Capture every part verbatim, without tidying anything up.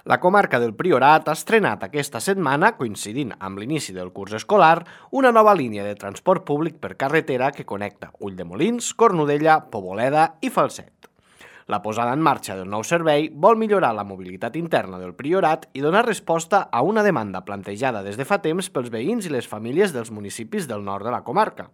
La comarca del Priorat ha estrenat aquesta setmana, coincidint amb l'inici del curs escolar, una nova línia de transport públic per carretera que connecta Ulldemolins, Cornudella, Poboleda i Falset. La posada en marxa del nou servei vol millorar la mobilitat interna del Priorat i donar resposta a una demanda plantejada des de fa temps pels veïns i les famílies dels municipis del nord de la comarca.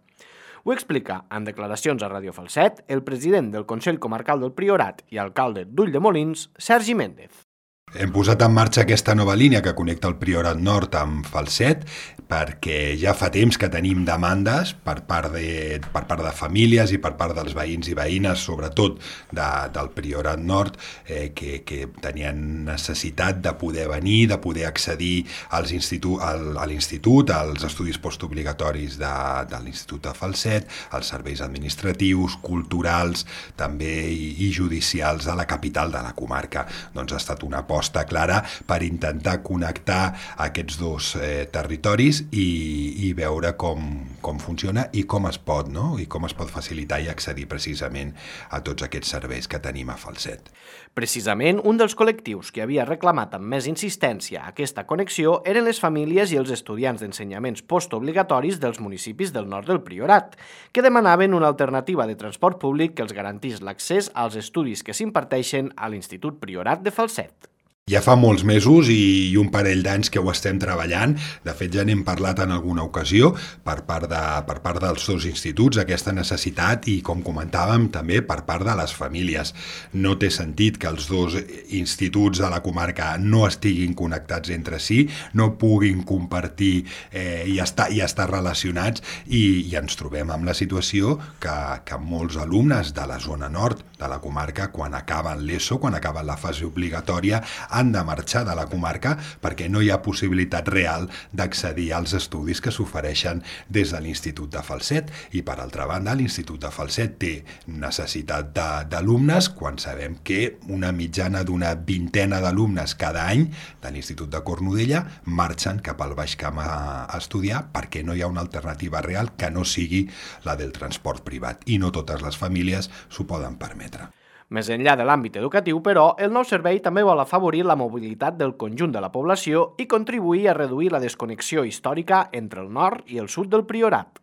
Ho explica, en declaracions a Ràdio Falset, el president del Consell Comarcal del Priorat i alcalde d'Ulldemolins, Sergi Méndez. Hem posat en marxa aquesta nova línia que connecta el Priorat Nord amb Falset perquè ja fa temps que tenim demandes per part de, per part de famílies i per part dels veïns i veïnes, sobretot de, del Priorat Nord, eh, que, que tenien necessitat de poder venir, de poder accedir als institu al, a l'institut, als estudis postobligatoris de, de l'Institut de Falset, als serveis administratius, culturals, també i, i judicials de la capital de la comarca. Doncs ha estat una aposta clara per intentar connectar aquests dos eh, territoris i, i veure com, com funciona i com es pot, no? I com es pot facilitar i accedir precisament a tots aquests serveis que tenim a Falset. Precisament, un dels col·lectius que havia reclamat amb més insistència aquesta connexió eren les famílies i els estudiants d'ensenyaments postobligatoris dels municipis del nord del Priorat, que demanaven una alternativa de transport públic que els garantís l'accés als estudis que s'imparteixen a l'Institut Priorat de Falset. Ja fa molts mesos i un parell d'anys que ho estem treballant. De fet, ja n'hem parlat en alguna ocasió per part, de, per part dels dos instituts, aquesta necessitat i, com comentàvem, també per part de les famílies. No té sentit que els dos instituts de la comarca no estiguin connectats entre si, no puguin compartir eh, i, estar, i estar relacionats i, i ens trobem amb la situació que, que molts alumnes de la zona nord de la comarca, quan acaben l'ESO, quan acaben la fase obligatòria, han de marxar de la comarca perquè no hi ha possibilitat real d'accedir als estudis que s'ofereixen des de l'Institut de Falset. I, per altra banda, l'Institut de Falset té necessitat d'alumnes quan sabem que una mitjana d'una vintena d'alumnes cada any de l'Institut de Cornudella marxen cap al Baix Camp a estudiar perquè no hi ha una alternativa real que no sigui la del transport privat i no totes les famílies s'ho poden permetre. Més enllà de l'àmbit educatiu, però, el nou servei també vol afavorir la mobilitat del conjunt de la població i contribuir a reduir la desconnexió històrica entre el nord i el sud del Priorat.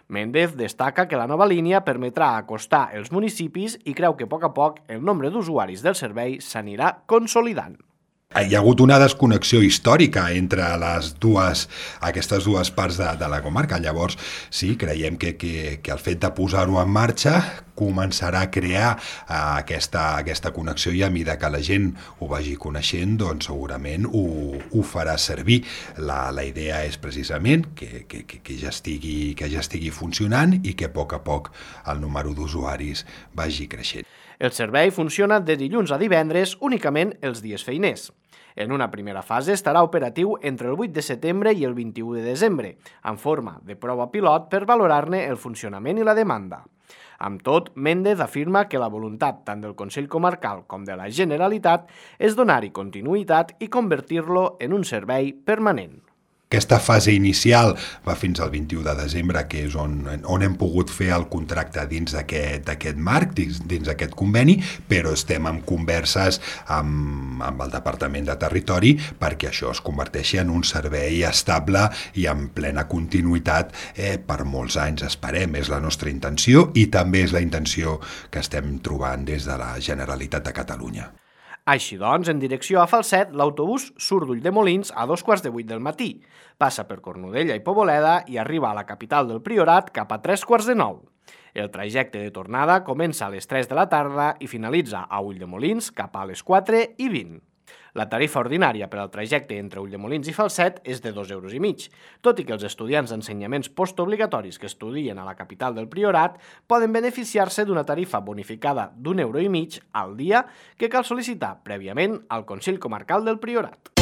Méndez destaca que la nova línia permetrà acostar els municipis i creu que a poc a poc el nombre d'usuaris del servei s'anirà consolidant. Hi ha hagut una desconnexió històrica entre les dues, aquestes dues parts de, de la comarca. Llavors, sí, creiem que, que, que el fet de posar-ho en marxa començarà a crear uh, aquesta, aquesta connexió i a mesura que la gent ho vagi coneixent, doncs segurament ho, ho farà servir. La, la idea és precisament que, que, que, ja estigui, que ja estigui funcionant i que a poc a poc el número d'usuaris vagi creixent. El servei funciona de dilluns a divendres únicament els dies feiners. En una primera fase estarà operatiu entre el vuit de setembre i el vint-i-u de desembre, en forma de prova pilot per valorar-ne el funcionament i la demanda. Amb tot, Méndez afirma que la voluntat tant del Consell Comarcal com de la Generalitat és donar-hi continuïtat i convertir-lo en un servei permanent. Aquesta fase inicial va fins al vint-i-u de desembre, que és on, on hem pogut fer el contracte dins d'aquest marc, dins, dins d'aquest conveni, però estem en converses amb, amb el Departament de Territori perquè això es converteixi en un servei estable i en plena continuïtat eh, per molts anys, esperem. És la nostra intenció i també és la intenció que estem trobant des de la Generalitat de Catalunya. Així doncs, en direcció a Falset, l'autobús surt d'Ulldemolins a dos quarts de vuit del matí, passa per Cornudella i Poboleda i arriba a la capital del Priorat cap a tres quarts de nou. El trajecte de tornada comença a les tres de la tarda i finalitza a Ulldemolins cap a les quatre i vint. La tarifa ordinària per al trajecte entre Ulldemolins i Falset és de dos euros i mig, tot i que els estudiants d'ensenyaments postobligatoris que estudien a la capital del Priorat poden beneficiar-se d'una tarifa bonificada d'un euro i mig al dia que cal sol·licitar prèviament al Consell Comarcal del Priorat.